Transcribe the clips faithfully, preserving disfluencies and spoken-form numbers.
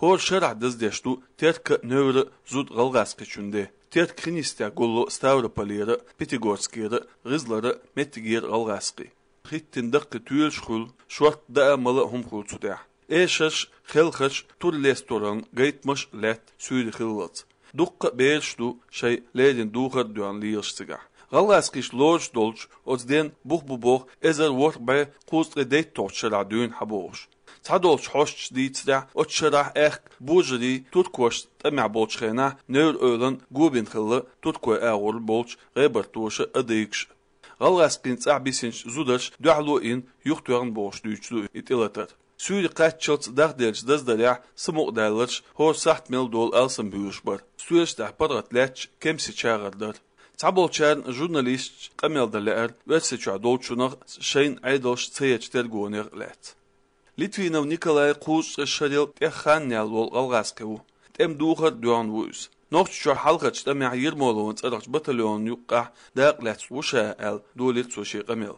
ХӀора шарахь даздеш ду Теркан а, Невран а зуда гӀалгӀазкхичун де. Теркан хин йистехь гулло Ставрополера а, Пятигорскера а, ГӀизлара а, меттигера а гӀалгӀазкхий. ХӀиттина даккхий тоьлаш хуьлу, шортта даа а, мала а хӀума хуьлу цу тӀехь. Эшарш а, хелхарш а, тур лестор а, гайтамаш а лаьтта суьйре хиллалц. Дуккха а бераш ду шайн леррина духар а доьгӀна лелаш цигахь. ГӀалгӀазкхаша лоруш долчу оцу денна бух бу боху эзар ворхӀ бӀе кхузткъе дейтталгӀачу шарахь дуьйна хьан бохуш. Цхьадолчу хьостанаша дийцарехь, оцу шарахь аьхка божарий туркошца тӀамехь болчу хенахь Невр-Эвлана го бина хилла туркойн агӀор болчу гӀебартоша а, адыгаш а. ГӀалгӀазкхийн цӀахь бисинчу зударша дуьхьало а йина, юхатоьхна бохуш дуьйцуш ду и тӀелатар. Суьйре кхаччалц дахделлачу даздарехь самукъадаьлларш хӀора сахьт мел долу алсамбуьйлуш бара. Стоьлаш тӀехь паргӀат лаьтташ кемсийн чагӀар дара. Цхьаболчарна журналисташа къамел дан лаьара Оьрсийчохь долчунах а, шайна Ӏедалша ца ечу тергонех а лаьцна. Литвинов Николай кхузткъе шарел тӀех хан яьлла волу гӀалгӀазкхи ву. ТӀеман духар а доьгӀна ву иза. Нохчийчохь хьалхарчу тӀамехь Ермоловн цӀарахчу батальонна юккъехь дакъа лаьцна ву ша аьлла, долийра цо шен къамел.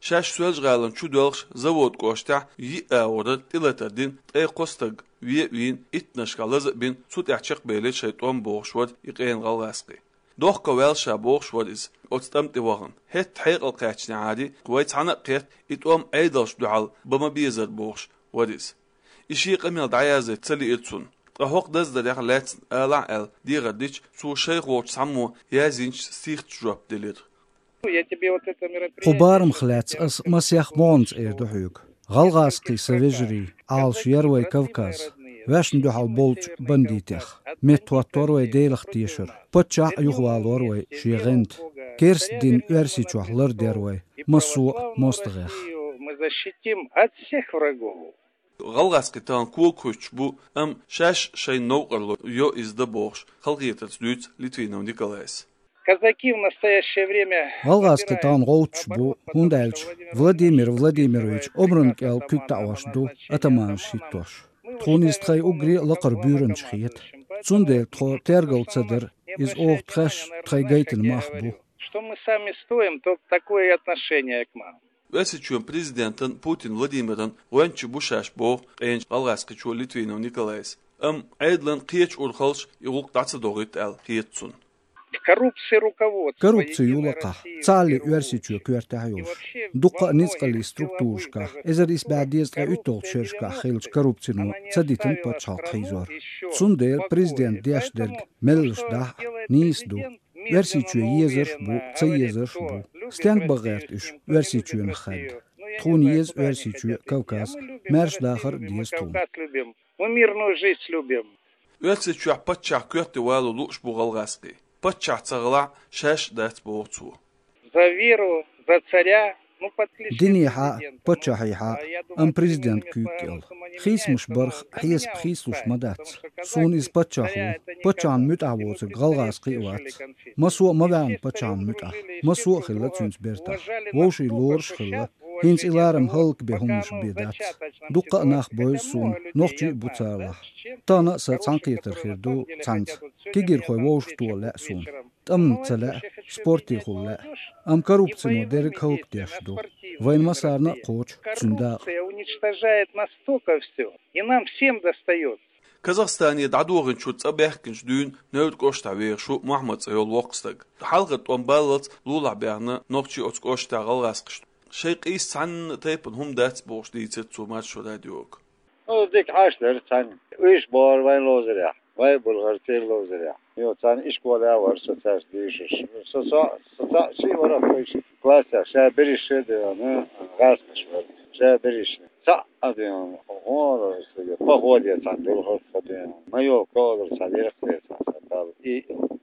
Шаьш Соьлжа-ГӀалина чудоьлхуш Завод кӀоштахь йиъ агӀорара тӀелатар дина, ткъе кхо стаг вен а вийна, иттаннашкахь лаза а бина, цу тӀехь чекхбелира шайн тӀом бохуш вара и къена гӀалгӀазкхи. Дохко ваьлла ша бохуш вара иза, оцу тӀам тӀе вахана. ХӀетта хьекъал кхаьчнехьара, вай цхьаьна а кхетта, и тӀом Ӏедалшна дуьхьал бан ма безара бохуш вара иза. И шен къамел дӀаяздайта ца лиира цунна. Ткъа хӀокху даздарех лаьцна алахь аьлла дехар дича, цо шайх волчу цхьаммо язйинчу стихаца жоп делира. Я тебе вот это мероприятие... Кху барамах лаьцна ас масех могӀанца эр ду хьоьга. ГӀалгӀазкхий, сан вежарий, Ӏалашъяр вай Кавказ. Ваьшна дуьхьал болчу бандитех. МеттахӀоттор вай Делах тешар. Паччахь а юхавалор вай шен гӀанта. Керста дин Оьрсийчохь лардер вай массо а мостагӀех. Мы защитим от всех врагов. ГӀалгӀазкхий тахана кога хуьттуш бу, амма шаьш шайна новкъарло йо иза дан бохуш, халахетарца дуьйцу Литвинов Николайс. Казаки в настоящее время... ГӀалгӀазкхий тахана гӀовттуш бу, хӀунда аьлча Владимир Владимирович омрана кӀел куьг таӀош ду атаманаш хӀиттош. Тхуна иза тхайн уггаре а лакхара буьйранча хета. Цундела тхо тергал ца дара, иза оха тхаьш тхайн гайтина мах бу. Что мы сами стоим, то такое отношение к нам. Оьрсийчоьнан президентан Путин Владимиран гӀоьнча бу шаьш боху къеначу гӀалгӀазкхичо Литвинов Николайс. Амма Ӏедалан кхечу урхаллаша и гӀуллакх дӀа ца дохуьйту аьлла хета цунна. В коррупции руководство Единой России... Коррупци ю лакхахь, цхьаалле Оьрсийчоь коьртехь йолуш. Дуккха а ницкъаллин структурашкахь, эзар исс бӀе дезткъе уьтталгӀачу шерашкахь хиллачу коррупцино ца дитина пачхьалкх хьийзор. Цундела президент деш дерг меллаша дахь а, нийса ду. Оьрсийчоь езарш а бу, ца езарш а бу. Стенга бан гӀерта уьш Оьрсийчоьнах хаьдда? Тхуна еза Оьрсийчоь а, Кавказ а, маьрша дахар а деза тхуна. Мы мирную жизнь любим. Оьрсийчохь паччахь коьрте вало лууш бу гӀалгӀазкхий. Паччахь ца хилахь, шаьш а дац боху цо. За веру, за царя, ну, в отличие от... Динехьа а, паччахьехьа а, амма президент куьйга кӀел. Хийцамаш барх хьесап хийцалуш ма дац. Суна иза паччахь ву. Паччахьна муьтӀахь воцург гӀалгӀазкхи а вац. Массо а ма ваьхна паччахьна муьтӀахь. Массо а хилла цуьнца бертахь. Вовшийн лоруш а хилла. ХӀинца и ларам хӀаллакбен хӀуманаш бен дац. Дуккха а нах бевза суна, нохчий а бу царлахь. Тахана а сан цхьаьнакхетар хир ду цхьаьнца. Кегийрхой вовшахтоха лаьа суна. ТӀамна ца лаьа, спортехула лаьа. Амма коррупцино дерриг хӀаллакдеш ду. Вайна массарна а кхочу цуьнан дакъа. Коррупция уничтожает настолько всё, и нам всем достаётся. Казахстане дӀадохийначуьра цӀа баьхкинчу дуьйна Невран кӀоштахь вехаш ву Мохьмад цӀе йолу воккха стаг. Хьалхара тӀом баллалц лулахь баьхна нохчий оцу кӀоштахь гӀалгӀазкхашна. Шайн къийса цхьанна а тайпана хӀума дац бохуш дийцира цо Маршо радиога. Ну, дика Ӏаш дара цхьаьна. Уьш бохура вайн ловзарехь, вайн Булгарстан ловзарехь. Йо, цхьаьна ишколехь вара со цаьрца дийшуш. Со, со, со цхьаъ шиъ вара вуьйш классехь, ша берриш а дуьйна, гӀазкхаш вара. Ша берриш. Цхьаъ а дуьйна, хӀора стага, походе цхьаьна дуьлхура тхо дуьйна. Ма йо, ковлар цхьаьна, иракхле цхьаьна, цхьаьна бала. И,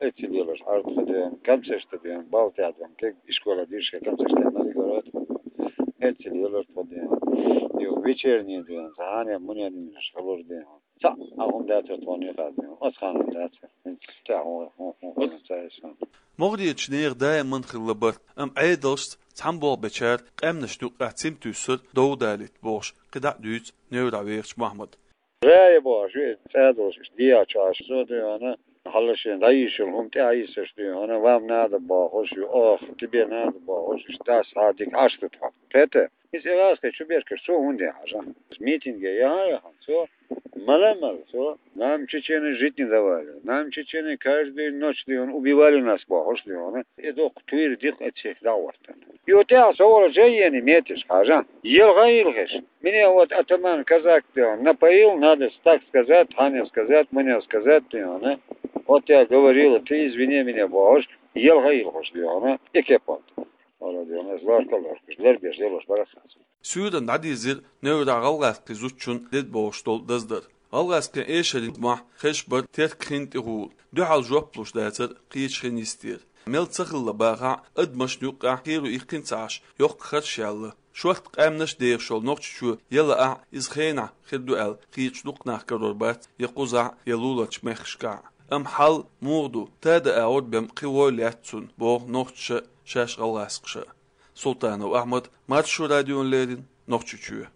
эццул лелаш Ӏара тхо дуьйна, комсешта дуьйна, балтехь дуьйна, кег ишкола дийшке комсешта ма дигара тхо. Эццул лелаш тхо дуьйна. Йо, вечерний дуьйна, цхьаьна мунен дийшаш хилура дуьйна. Цхьаъ а хӀума дацара тхуна юкъахь дуьйна. Оцхьана хӀума дацара. ХӀинца тӀаьхьа хӀун, хӀун, хӀун, хӀун ца эшна. МогӀарерчу нехан даиман хилла барт, амма Ӏедалшца цхьаьна болх бечара къаьмнашна юккъехь цим туьйсура дов далийта бохуш, кхидӀа а дуьйцу Неврахь вехачу Мохьмада. Рая бохуш, ве цӀа долуш, иштта дехьа чохь, со дуьйна, хьалла шен дӀайийшар хӀума тӀаьхьа йисаш дуьйна, вам надо бохуш, ю, ох, тебе надо бохуш, иштта дас хьа дика Ӏаш ду тхо. Кхета? Иза гӀазкхи чу беркаш, цо хӀунда яхьаш? Митинге яхьа, яхьа, цо Мала-мала, со, нам чеченцы жить не давали. Нам чеченцы каждую ночь, дий хьона, убивали нас, бохуш, дий хьона. Э, доккха туйра ди-кх эцех дагӀвартан. И вот тӀехьа со волча ени метиш хьажа. Елха йилхиш. Меня вот атаман казак, дий хьона, напоил, надо так сказать, хьанал сказать, манал сказать, дий хьона. Вот я говорил, ты извини меня, бохуш, елха йилхуш, дий хьона, экепант. Вала, дий хьона, из ларка ларкаш, лар беш, лелош бара хаза. Суьйранна дӀадийзира неврахь гӀалгӀазкхийн зудчун дед бохуш долу даздар. ГӀалгӀазкхийн эшарийн мохь хезаш бара теркан хин тӀехула. Дуьхьал жоп луш дацара кхечу хин йистера. Мел ца хилла бахахь а, адамашна юккъехь кхеро иккхина ца Ӏаш, йоккха харш яьлла. Шортта къаьмнаш а дехаш йолу Нохчийчоь яла ахь, иза хенахь хир ду аьлла, кхечу дукха нах карор бац я кхузахь, я луларчу мехкашкахь. Амма хьал муха ду, тада агӀор бен кхин вой лаьтта цунна, боху нохчаша, шаьш гӀалгӀазкхаша. Султанов Ахьмад, Маршо радиона леррина, Нохчийчоь.